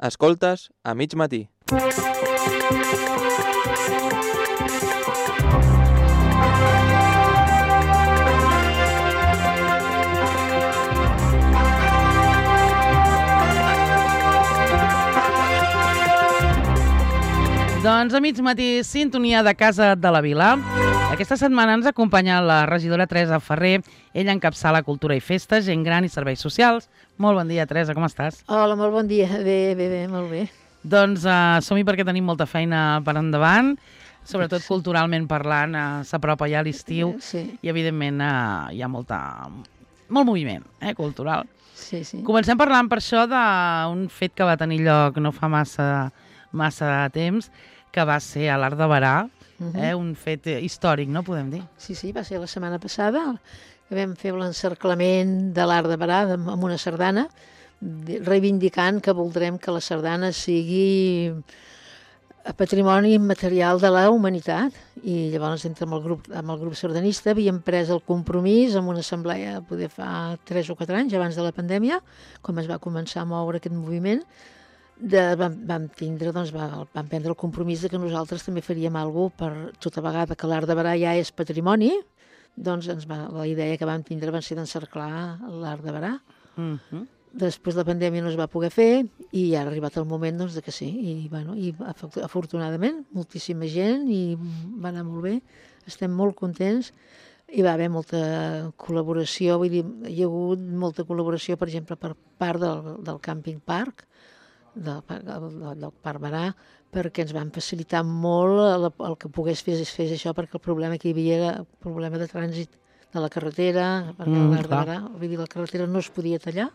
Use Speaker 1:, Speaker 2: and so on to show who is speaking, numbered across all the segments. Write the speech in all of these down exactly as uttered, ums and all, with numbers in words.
Speaker 1: Escoltes a mig matí.
Speaker 2: Doncs a mig matí, sintonia de Casa de la Vila. Aquesta setmana ens acompanya la regidora Teresa Ferrer. Ella encapçala Cultura i Festes, Gent Gran i Serveis Socials. Molt bon dia, Teresa, com estàs?
Speaker 3: Hola, molt bon dia. Bé, bé, bé, molt bé.
Speaker 2: Doncs uh, som-hi perquè tenim molta feina per endavant, sobretot sí. Culturalment parlant, uh, s'apropa ja l'estiu
Speaker 3: sí.
Speaker 2: i evidentment uh, hi ha molta, molt moviment eh, cultural.
Speaker 3: Sí, sí.
Speaker 2: Comencem parlant per això d'un fet que va tenir lloc no fa massa, massa temps, que va ser a l'Arc de Berà, uh -huh. eh, un fet històric, no podem dir?
Speaker 3: Sí, sí, va ser la setmana passada, que vam fer l'encerclament de l'Arc de Berà amb una sardana, reivindicant que voldrem que la sardana sigui patrimoni immaterial de la humanitat. I llavors, entre amb el grup, amb el grup sardanista, havíem pres el compromís amb una assemblea, poder fa tres o quatre anys, abans de la pandèmia, com es va començar a moure aquest moviment, de, vam, vam tindre, doncs, va, vam prendre el compromís de que nosaltres també faríem alguna cosa per tota vegada que l'Arc de Berà ja és patrimoni, doncs ens va, la idea que vam tindre va ser d'encerclar l'Arc de Berà.
Speaker 2: Uh -huh.
Speaker 3: Després la pandèmia no es va poder fer i ha arribat el moment doncs, de que sí. I, bueno, i afortunadament, moltíssima gent i va anar molt bé. Estem molt contents. Hi va haver molta col·laboració, vull dir, hi ha hagut molta col·laboració, per exemple, per part del, del Càmping Parc, del, del, del Parc Berà, perquè ens van facilitar molt el, el que pogués fer, fer això, perquè el problema que hi havia era el problema de trànsit de la carretera, perquè mm, l'Arc de Berà, vull dir, la carretera no es podia tallar,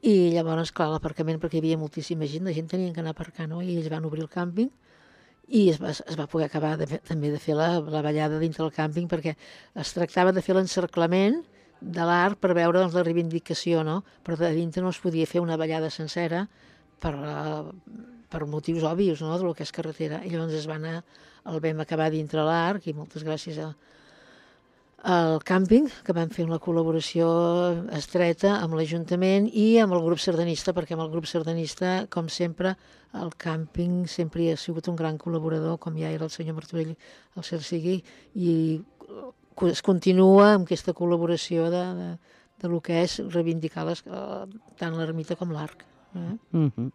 Speaker 3: i llavors, clar, l'aparcament, perquè hi havia moltíssima gent, la gent tenia que anar a aparcar, no? I ells van obrir el càmping i es va, es va poder acabar de fer, també de fer la, la ballada dintre del càmping, perquè es tractava de fer l'encerclament de l'art per veure doncs, la reivindicació, no? Però de dintre no es podia fer una ballada sencera per, uh, per motius òbvios, no?, del que és carretera. I llavors es va anar, el vam acabar dintre l'arc, i moltes gràcies a al càmping, que vam fer una col·laboració estreta amb l'Ajuntament i amb el grup sardanista, perquè amb el grup sardanista, com sempre, el càmping sempre ha sigut un gran col·laborador, com ja era el senyor Martorell, el cert sigui, i es continua amb aquesta col·laboració de, de, de lo que és reivindicar les, tant l'ermita com l'arc. Eh?
Speaker 2: Mm -hmm.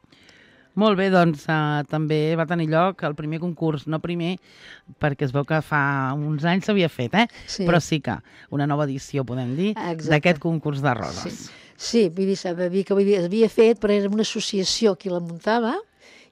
Speaker 2: Molt bé, doncs uh, també va tenir lloc el primer concurs, no primer, perquè es veu que fa uns anys s'havia fet, eh?
Speaker 3: Sí.
Speaker 2: Però sí que una nova edició, podem dir, d'aquest concurs de roses.
Speaker 3: Sí, sí, vull dir, s'ha de dir que vull dir, es havia fet, però era una associació qui la muntava,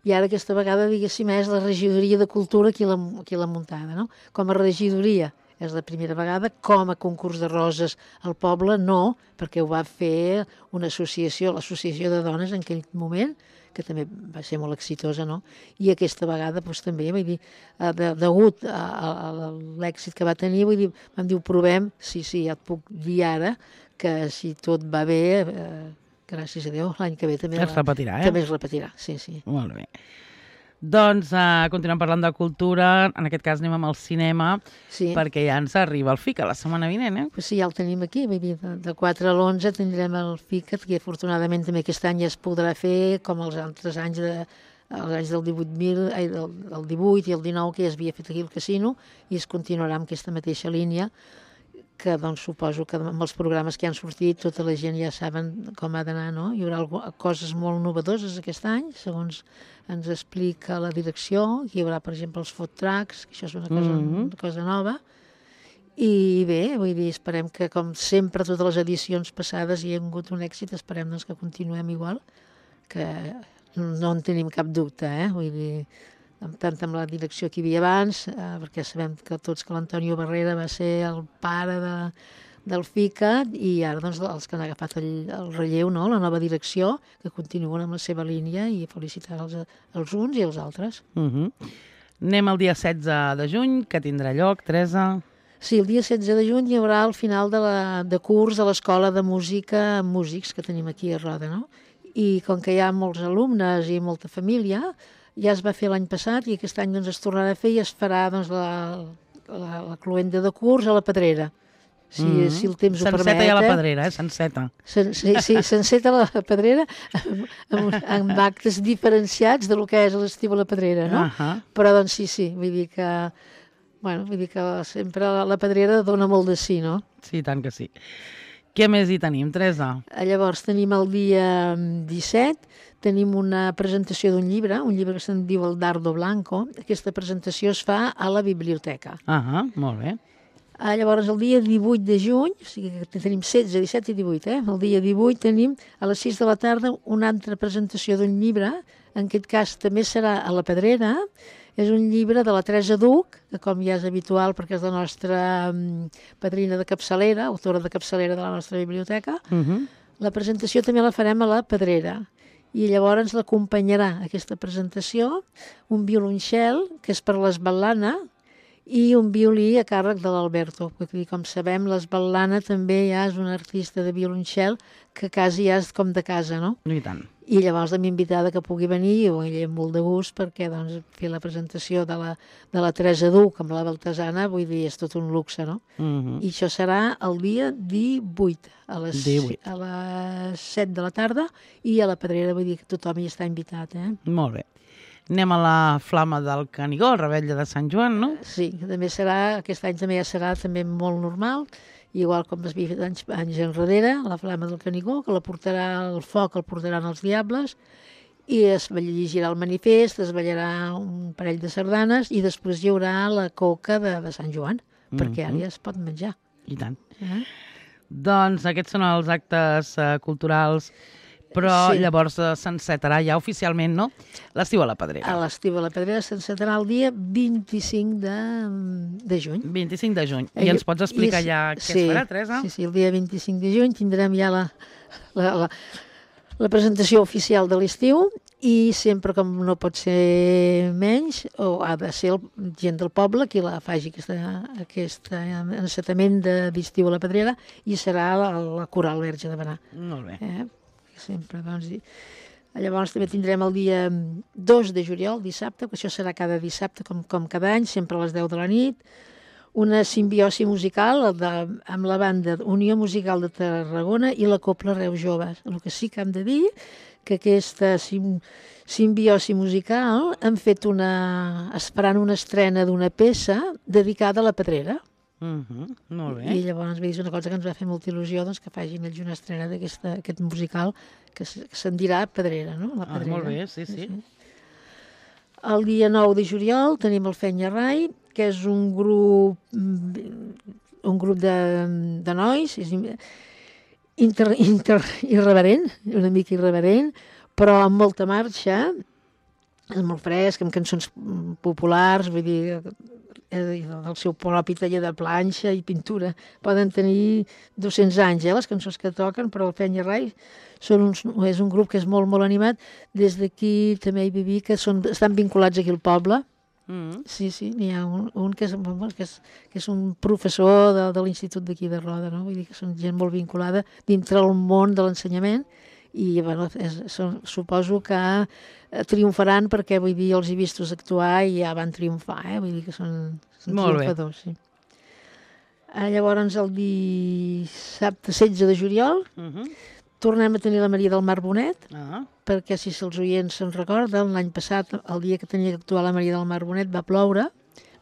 Speaker 3: i ara aquesta vegada, diguéssim, és la regidoria de cultura qui la, qui la muntada, no? Com a regidoria és la primera vegada, com a concurs de roses al poble, no, perquè ho va fer una associació, l'associació de dones en aquell moment, que també va ser molt exitosa, no? I aquesta vegada doncs, també, vull dir, de, degut a, a, a l'èxit que va tenir, vull dir, vam dir, ho provem, sí, sí, ja et puc dir ara que si tot va bé, eh, gràcies a Déu, l'any que ve també
Speaker 2: es repetirà, eh?
Speaker 3: També es repetirà, sí, sí.
Speaker 2: Molt bé. Doncs uh, continuem parlant de cultura, en aquest cas anem amb el cinema, sí. Perquè ja ens arriba el FICA la setmana vinent, eh?
Speaker 3: Pues sí, ja el tenim aquí, vull dir, de, de quatre a l'onze tindrem el FICA, que afortunadament també aquest any ja es podrà fer, com els altres anys, de, els anys del divuit mil, ai, del, del divuit i el dinou, que ja es havia fet aquí al casino, i es continuarà amb aquesta mateixa línia, que doncs suposo que amb els programes que han sortit tota la gent ja saben com ha d'anar, no? Hi haurà algo, coses molt novedoses aquest any, segons ens explica la direcció. Hi haurà, per exemple, els food trucks, que això és una cosa, mm-hmm. una cosa nova. I bé, vull dir, esperem que, com sempre, totes les edicions passades hi ha hagut un èxit, esperem doncs, que continuem igual, que no en tenim cap dubte, eh? Vull dir, tant amb la direcció que hi havia abans, eh, perquè sabem que tots que l'Antonio Barrera va ser el pare de, del FICA, i ara doncs, els que han agafat el, el relleu, no? La nova direcció, que continuen amb la seva línia, i felicitar els, els uns i els altres.
Speaker 2: Uh-huh. Anem al dia setze de juny, que tindrà lloc, Teresa.
Speaker 3: Sí, el dia setze de juny hi haurà el final de, la, de curs a l'Escola de Música amb Músics, que tenim aquí a Roda, no? I com que hi ha molts alumnes i molta família, ja es va fer l'any passat i aquest any doncs, es tornarà a fer i es farà doncs, la, la, la cloenda de curs a la Pedrera. si, mm -hmm. si el temps ho permet.
Speaker 2: S'enceta ja la Pedrera, eh? S'enceta.
Speaker 3: Sí, sí s'enceta la Pedrera amb, amb, amb actes diferenciats de lo que és l'estiu a la Pedrera, no?
Speaker 2: Uh -huh.
Speaker 3: Però doncs sí, sí, vull dir que, bueno, vull dir que sempre la, la Pedrera dona molt de sí, no?
Speaker 2: Sí, tant que sí. Què més hi tenim, Teresa?
Speaker 3: Llavors tenim el dia disset, tenim una presentació d'un llibre, un llibre que se'n diu El Dardo Blanco. Aquesta presentació es fa a la biblioteca.
Speaker 2: Ah, uh -huh, molt bé.
Speaker 3: Ah, llavors, el dia divuit de juny, o sigui que tenim setze, disset i divuit, eh? El dia divuit tenim a les sis de la tarda una altra presentació d'un llibre, en aquest cas també serà a la Pedrera. És un llibre de la Teresa Duc, que com ja és habitual perquè és la nostra um, padrina de capçalera, autora de capçalera de la nostra biblioteca.
Speaker 2: Uh -huh.
Speaker 3: La presentació també la farem a la Pedrera. I llavors l'acompanyarà aquesta presentació un violoncel, que és per l'esbatlana, i un violí a càrrec de l'Alberto. Perquè, com sabem, l'esbatlana també ja és un artista de violoncel que quasi ja és com de casa, no?
Speaker 2: I tant.
Speaker 3: I llavors l'hem invitada que pugui venir, i ho amb molt de gust, perquè doncs, fer la presentació de la, de la Teresa Duc amb la Baltasana, vull dir, és tot un luxe, no?
Speaker 2: Uh -huh.
Speaker 3: I això serà el dia divuit, a les,
Speaker 2: divuit.
Speaker 3: a les set de la tarda, i a la Pedrera, vull dir que tothom hi està invitat, eh?
Speaker 2: Molt bé. Anem a la Flama del Canigó, Revetlla de Sant Joan, no?
Speaker 3: Sí, que també serà, aquest any també ja serà també molt normal, igual com es havia fet anys, anys enrere, la Flama del Canigó, que la portarà el foc, el portaran els diables, i es llegirà el manifest, es ballarà un parell de sardanes, i després hi haurà la coca de, de Sant Joan, mm -hmm. perquè ara ja es pot menjar.
Speaker 2: I tant.
Speaker 3: Eh?
Speaker 2: Doncs aquests són els actes uh, culturals, però sí. Llavors uh, s'encetarà ja oficialment, no?, l'estiu a la Pedrera.
Speaker 3: A l'estiu a la Pedrera s'encetarà el dia vint-i-cinc de juny.
Speaker 2: vint-i-cinc de juny. I ens pots explicar I, ja què
Speaker 3: sí,
Speaker 2: es farà, Teresa?
Speaker 3: Sí, sí, el dia vint-i-cinc de juny tindrem ja la, la, la, la presentació oficial de l'estiu, i sempre, com no pot ser menys, o ha de ser el, gent del poble qui la faci aquesta, aquest encetament d'estiu a la Pedrera, i serà la, la Coral Verge de Benà.
Speaker 2: Molt bé.
Speaker 3: Eh? Sempre, doncs, i... Llavors també tindrem el dia dos de juliol, dissabte, que això serà cada dissabte, com, com cada any, sempre a les deu de la nit, una simbiosi musical de, amb la banda Unió Musical de Tarragona i la Copla Reus Joves. El que sí que hem de dir que aquesta sim, simbiosi musical han fet una... esperant una estrena d'una peça dedicada a la Pedrera.
Speaker 2: Uh -huh, molt bé.
Speaker 3: I llavors és una cosa que ens va fer molta il·lusió, doncs, que facin ells una estrena d'aquest musical que, que se'n dirà Pedrera, no? La Pedrera.
Speaker 2: Ah, molt bé, sí, sí, sí.
Speaker 3: El dia nou de juliol tenim el Fenya Rai, que és un grup un grup de, de nois, és inter, inter, irreverent, una mica irreverent, però amb molta marxa, és molt fresc, amb cançons populars, vull dir, del seu propi taller de planxa i pintura. Poden tenir dos-cents anys, eh, les cançons que toquen, però el Fenya Rai són uns, és un grup que és molt, molt animat. Des d'aquí també hi viví, que són, estan vinculats aquí al poble. Mm. Sí, sí, n'hi ha un, un que, és, que, és, que és un professor de, de l'institut d'aquí de Roda, no? Vull dir que són gent molt vinculada dintre el món de l'ensenyament, i bueno, és, són, suposo que triomfaran, perquè vull dir, els he vistos actuar i ja van triomfar, eh? Vull dir que són, són triomfadors. Sí. Llavors el dissabte setze de juliol uh -huh. tornem a tenir la Maria del Mar Bonet, uh -huh. perquè si els oients se'n recorden, l'any passat, el dia que tenia que actuar la Maria del Mar Bonet, va ploure,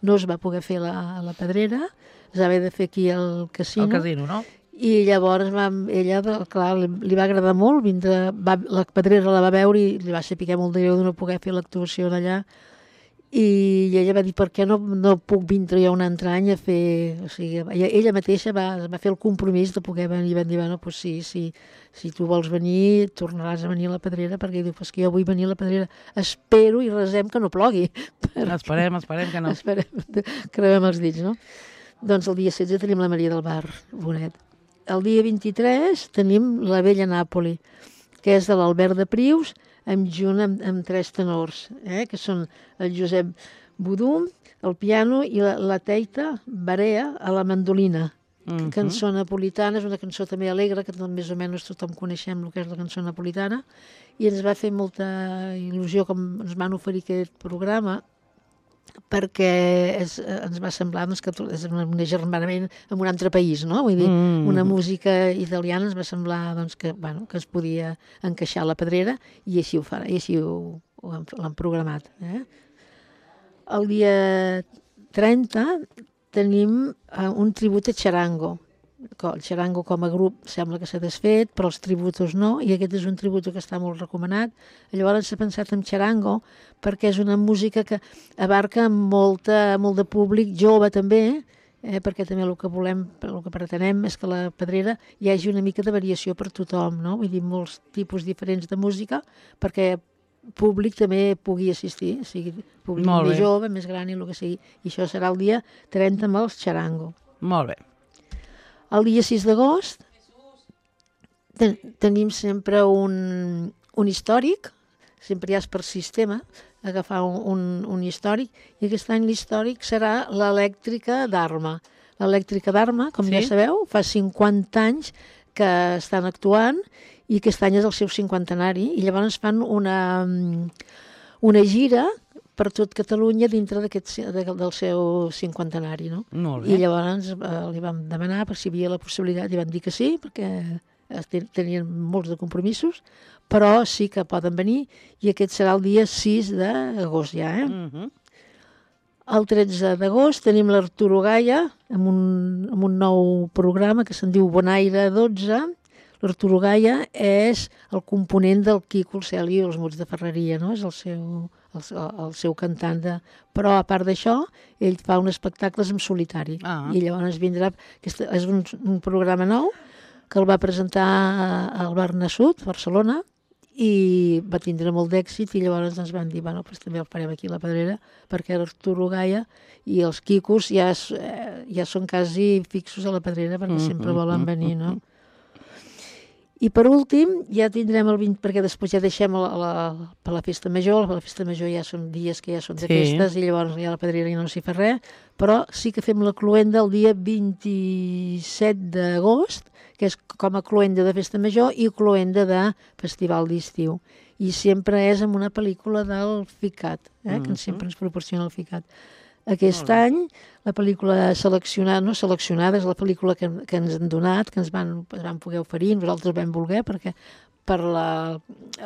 Speaker 3: no es va poder fer la, la Pedrera, es va haver de fer aquí al casino.
Speaker 2: Al casino, no?
Speaker 3: I llavors va, ella, clar, li, li va agradar molt, vindre, va, la Pedrera la va veure i li va ser picar molt de greu de no poder fer l'actuació d'allà, i ella va dir, per què no, no puc vindre jo un altre any a fer... O sigui, ella, ella mateixa va, va fer el compromís de poder venir, i van dir, bueno, doncs sí, sí, si tu vols venir, tornaràs a venir a la Pedrera, perquè diu, pues que jo vull venir a la Pedrera, espero i resem que no plogui.
Speaker 2: Per... Esperem, esperem que no.
Speaker 3: Esperem, creuem els dits, no? Doncs el dia setze tenim la Maria del Mar Bonet. El dia vint-i-tres tenim la Vella Nàpoli, que és de l'Albert de Prius, amb junt amb, amb tres tenors, eh? Que són el Josep Budum, el piano, i la, la Teita Barea a la mandolina. Uh-huh. Cançó napolitana, és una cançó també alegre, que més o menys tothom coneixem el que és la cançó napolitana, i ens va fer molta il·lusió com ens van oferir aquest programa, perquè és, ens va semblar doncs, que és un agermanament en un altre país, no? Vull dir, mm. una música italiana ens va semblar doncs, que, bueno, que es podia encaixar a la Pedrera i així ho farà, i així ho, ho han, l'han programat. Eh? El dia trenta tenim uh, un tribut a Charango. El Charango com a grup sembla que s'ha desfet, però els tributos no, i aquest és un tributo que està molt recomanat. Llavors s'ha pensat en Charango perquè és una música que abarca molta, molt de públic jove també, eh, perquè també el que volem, el que pretenem és que a la Pedrera hi hagi una mica de variació per tothom, no? Vull dir, molts tipus diferents de música, perquè públic també pugui assistir, o sigui, públic més jove, més gran i el que sigui. I això serà el dia trenta amb els Charango.
Speaker 2: Molt bé.
Speaker 3: El dia sis d'agost ten, tenim sempre un, un històric, sempre ja és per sistema, agafar un, un, un històric, i aquest any l'històric serà l'elèctrica d'Arma. L'elèctrica d'Arma, com sí? ja sabeu, fa cinquanta anys que estan actuant i aquest any és el seu cinquantenari, i llavors fan una, una gira per tot Catalunya dintre d'aquest de, del seu cinquantenari, no?
Speaker 2: Molt bé.
Speaker 3: I llavors eh, li vam demanar per si hi havia la possibilitat, i van dir que sí, perquè tenien molts de compromisos, però sí que poden venir, i aquest serà el dia sis d'agost ja, eh? Uh-huh. El tretze d'agost tenim l'Arturo Gaia amb un, amb un nou programa que se'n diu Bonaire dotze. L'Arturo Gaia és el component del Quico, el Celi i els Muts de Ferreria, no? És el seu... El, el seu cantant de... Però a part d'això ell fa uns espectacles en solitari, ah. i llavors vindrà aquest, és un, un programa nou que el va presentar al Barnassut, Barcelona, i va tindre molt d'èxit, i llavors ens van dir, bueno, pues també el farem aquí a la Pedrera, perquè l'Arturo Gaia i els Quicos ja, ja són quasi fixos a la Pedrera, perquè mm-hmm. sempre volen venir, no? I per últim, ja tindrem el vint, perquè després ja deixem la, la, per la festa major, la festa major ja són dies que ja són de sí. festes, i llavors ja la Pedrera ja no s'hi fa res, però sí que fem la cloenda el dia vint-i-set d'agost, que és com a cloenda de festa major i cloenda de festival d'estiu. I sempre és amb una pel·lícula del FICAT, eh, mm-hmm. que sempre ens proporciona el FICAT. Aquest any, la pel·lícula seleccionada, no seleccionada, és la pel·lícula que, que ens han donat, que ens van, ens van poder oferir, nosaltres vam voler, perquè per la,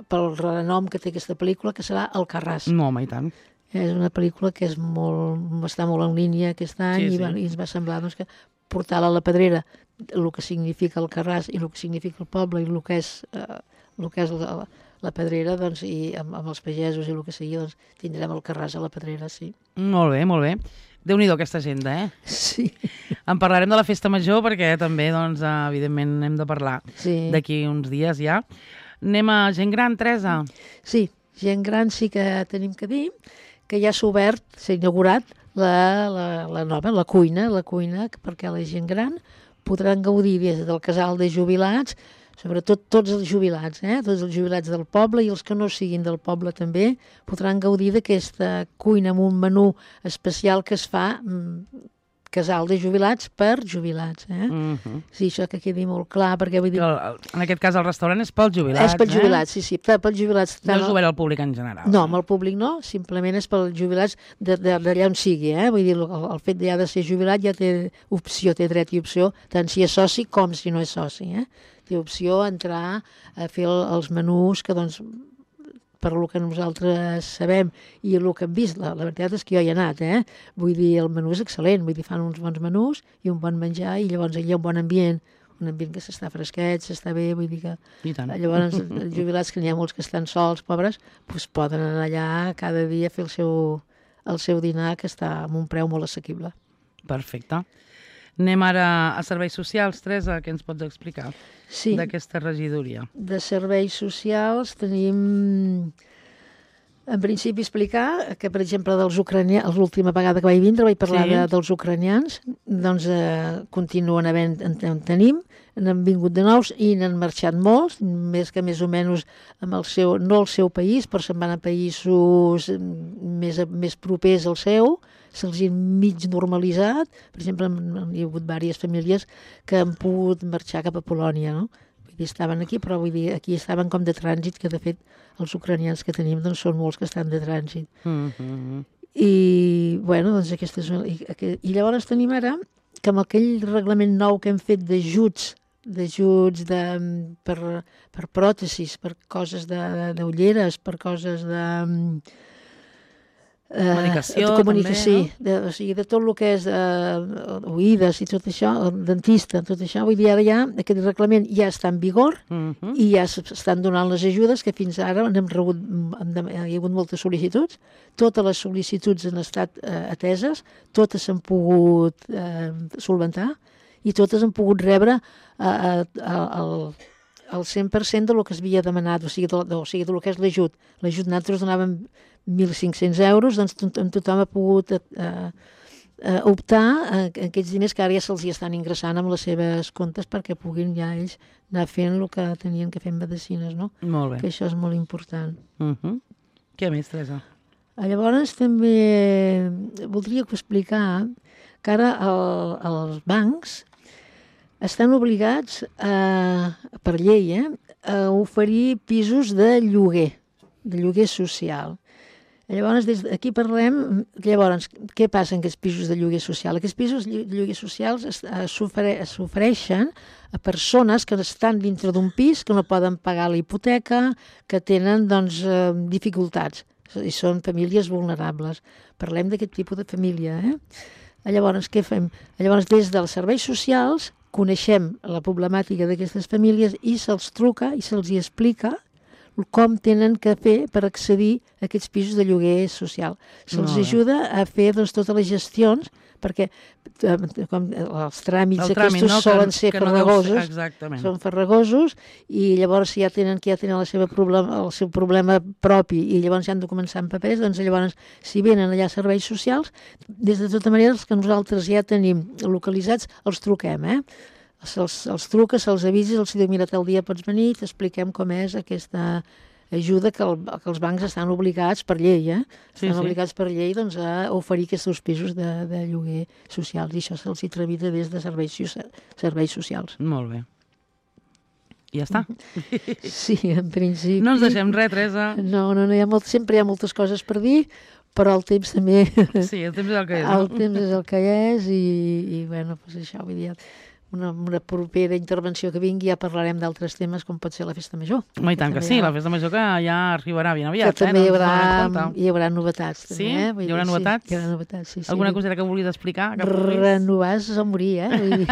Speaker 3: pel renom que té aquesta pel·lícula, que serà Alcarràs.
Speaker 2: No, home, i tant.
Speaker 3: És una pel·lícula que és molt, està molt en línia aquest any, sí, sí. I, i ens va semblar doncs, que portar-la a la Pedrera, el que significa Alcarràs i el que significa el poble i el que és, eh, el que és la, la Pedrera, doncs, i amb, amb els pagesos i el que sigui, doncs, tindrem el Carràs a la Pedrera, sí.
Speaker 2: Molt bé, molt bé. Déu-n'hi-do aquesta agenda, eh?
Speaker 3: Sí.
Speaker 2: En parlarem de la festa major perquè també, doncs, evidentment, hem de parlar sí. d'aquí uns dies ja. Anem a gent gran, Teresa?
Speaker 3: Sí, gent gran sí que tenim que dir que ja s'ha obert, s'ha inaugurat la, la, la nova, la cuina, la cuina perquè la gent gran podran gaudir des del casal de jubilats, sobretot tots els jubilats, eh? Tots els jubilats del poble i els que no siguin del poble també podran gaudir d'aquesta cuina amb un menú especial que es fa mm, casal de jubilats per jubilats. Eh? Uh-huh. Sí, això que quedi molt clar, perquè vull dir...
Speaker 2: El, en aquest cas el restaurant és pels jubilats,
Speaker 3: És pels jubilats, eh? sí, sí, pels jubilats.
Speaker 2: No és obert al públic en general.
Speaker 3: No, amb el públic no, simplement és pels jubilats d'allà on sigui, eh? Vull dir, el, el fet ja de ser jubilat ja té opció, té dret i opció, tant si és soci com si no és soci, eh? Té opció a entrar a fer el, els menús que, doncs, per el que nosaltres sabem i el que hem vist, la, la veritat és que jo hi he anat, eh? Vull dir, el menú és excel·lent, vull dir, fan uns bons menús i un bon menjar i llavors hi ha un bon ambient, un ambient que s'està fresquet, s'està bé, vull dir que...
Speaker 2: I tant.
Speaker 3: Llavors, els jubilats, que n'hi ha molts que estan sols, pobres, doncs poden anar allà cada dia a fer el seu, el seu dinar, que està amb un preu molt assequible.
Speaker 2: Perfecte. Anem ara a serveis socials, Teresa, què ens pots explicar
Speaker 3: sí.
Speaker 2: d'aquesta regidoria?
Speaker 3: De serveis socials tenim, en principi, explicar que, per exemple, dels ucranians, l'última vegada que vaig vindre vaig parlar sí. de, dels ucranians, doncs eh, continuen havent, en, en tenim, n'han vingut de nous i n'han marxat molts, més que més o menys amb el seu, no el seu país, però se'n van a països més, més propers al seu, se'ls ha mig normalitzat. Per exemple, hi ha hagut diverses famílies que han pogut marxar cap a Polònia, no? Vull dir, estaven aquí, però vull dir, aquí estaven com de trànsit, que de fet els ucranians que tenim doncs, són molts que estan de trànsit. Mm-hmm. I, bueno, doncs aquesta és una... I, i llavors tenim ara que amb aquell reglament nou que hem fet d'ajuts, d'ajuts de, per, per pròtesis, per coses d'ulleres, per coses de... Eh,
Speaker 2: Comunicació,
Speaker 3: de comunicació,
Speaker 2: també, no?
Speaker 3: sí, de, o sigui, de tot el que és eh, oïdes i tot això, el dentista, tot això, vull dir, ara ja aquest reglament ja està en vigor
Speaker 2: Uh-huh.
Speaker 3: i ja s'estan donant les ajudes que fins ara hem rebut, hem, hi ha hagut moltes sol·licituds, totes les sol·licituds han estat eh, ateses, totes s'han pogut eh, solventar i totes han pogut rebre eh, eh, el, el cent per cent de lo que es havia demanat, o sigui, de, de, o sigui, de lo que és l'ajut. L'ajut nosaltres donàvem mil cinc-cents euros, doncs tothom ha pogut eh, eh, optar a aquests diners que ara ja se'ls estan ingressant amb les seves comptes perquè puguin ja ells anar fent el que tenien que fer amb medicines, no?
Speaker 2: Molt bé.
Speaker 3: Que això és molt important.
Speaker 2: Uh-huh. Què més, Teresa?
Speaker 3: Llavors també voldria explicar que ara el, els bancs estan obligats a, per llei eh, a oferir pisos de lloguer, de lloguer social. Llavors, des aquí parlem, llavors, què passa en aquests pisos de lloguer social? Aquests pisos de lloguer socials s'ofereixen a persones que estan dintre d'un pis, que no poden pagar la hipoteca, que tenen doncs, eh, dificultats, i són famílies vulnerables. Parlem d'aquest tipus de família. Eh? Llavors, què fem? Llavors, des dels serveis socials, coneixem la problemàtica d'aquestes famílies i se'ls truca i se'ls hi explica com tenen que fer per accedir a aquests pisos de lloguer social. Se'ls ajuda a fer doncs, totes les gestions, perquè eh, com, els tràmits
Speaker 2: el
Speaker 3: aquests
Speaker 2: tràmit, no?
Speaker 3: solen
Speaker 2: que,
Speaker 3: ser
Speaker 2: que no
Speaker 3: farragosos,
Speaker 2: ser, exactament.
Speaker 3: són farragosos, i llavors si ja tenen, que ja tenen la seva problema, el seu problema propi i llavors ja han de començar amb papers, doncs llavors si venen allà a serveis socials, des de tota manera els que nosaltres ja tenim localitzats els truquem, eh? Se'ls, se'ls truca, se'ls avisa, els diu, mira, tal dia pots venir, t'expliquem com és aquesta ajuda que, el, que els bancs estan obligats per llei, eh?
Speaker 2: Sí,
Speaker 3: estan
Speaker 2: sí.
Speaker 3: obligats per llei doncs, a oferir aquests pisos de, de lloguer socials, i això se'ls hi tramita des de serveis, serveis socials.
Speaker 2: Molt bé. I ja està.
Speaker 3: Sí, en principi...
Speaker 2: No ens deixem res, Teresa.
Speaker 3: No, no, no hi ha molt, sempre hi ha moltes coses per dir, però el temps també...
Speaker 2: Sí, el temps és el que és.
Speaker 3: El
Speaker 2: No?
Speaker 3: temps és el que és i, i bueno, doncs això, vull dir... Una, una propera intervenció que vingui ja parlarem d'altres temes com pot ser la festa major.
Speaker 2: Home, i tant que sí, la festa major que ja arribarà ben aviat.
Speaker 3: Que també
Speaker 2: eh?
Speaker 3: hi haurà,
Speaker 2: doncs,
Speaker 3: hi haurà novetats.
Speaker 2: Sí?
Speaker 3: També, eh? Vull
Speaker 2: Hi haurà
Speaker 3: dir,
Speaker 2: novetats?
Speaker 3: Sí, hi haurà novetats, sí. sí.
Speaker 2: Alguna coseta que vulguis explicar? Que vulguis?
Speaker 3: Renovar és morir, eh? Vull dir.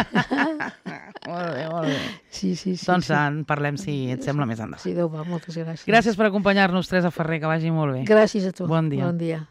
Speaker 2: Molt bé, molt bé.
Speaker 3: Sí, sí, sí.
Speaker 2: Doncs
Speaker 3: sí.
Speaker 2: en parlem, si et sembla, més endavant.
Speaker 3: Sí, Déu va, moltes gràcies.
Speaker 2: Gràcies per acompanyar-nos, Teresa Ferrer, que vagi molt bé.
Speaker 3: Gràcies a tu.
Speaker 2: Bon dia.
Speaker 3: Bon dia.